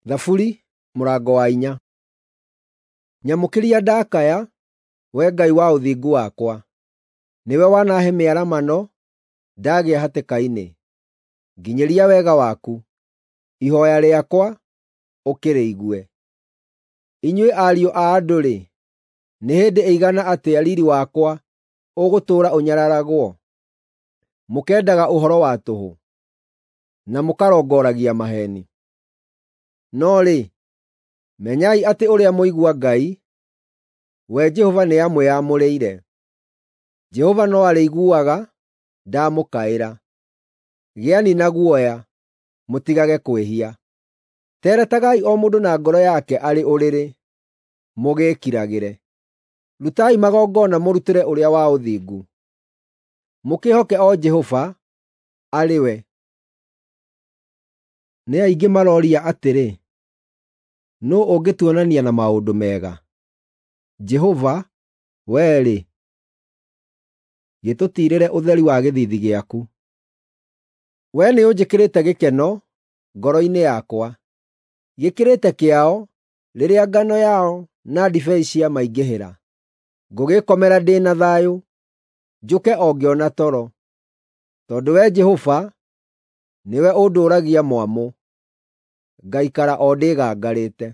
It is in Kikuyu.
Thaburi mũrango wa 4. Nyamũkĩria ndakaya, Wee Ngai wa ũthingu wakwa. Nĩwe wanaahe mĩaramano ndagĩa hatĩka-inĩ. Nginyĩria wega waku, ihooya rĩakwa ũkĩrĩigue. Inyuĩ ariũ a andũ-rĩ, nĩ hĩndĩ ĩigana atĩa riiri wakwa ũgũtũũra ũnyararagwo? Mũkendaga ũhoro wa tũhũ, na mũkarongoragia maheeni. No rĩ, menyai atĩ ũrĩa mũigua Ngai, we Jehova nĩamwĩamũrĩire. Jehova no arĩiguaga ndamũkaĩra. Gĩani na guoya, mũtigage kwĩhia. Teretagai o mũndũ na ngoro yake arĩ ũrĩrĩ, mũgĩĩkiragĩre. Rutai magongona mũrutĩre ũrĩa wa ũthingu. Mũkĩĩhoke o Jehova, arĩ we. Nĩ aingĩ maroria atĩrĩ, “Nũũ ũngĩtuonania na maũndũ mega?” Jehova, wee-rĩ, gĩtũtiirĩre ũtheri wa gĩthiithi gĩaku. Wee nĩũnjĩkĩrĩte gĩkeno ngoro-inĩ yakwa, gĩkĩrĩte kĩao rĩrĩa ngano yao na ndibei ciamaingĩhĩra. Ngũgĩĩkomera ndĩ na thayũ, njũke o ngĩona toro, tondũ Wee Jehova nĩwe ũndũũragia mwamũ, ngaikara o ndĩgangarĩte.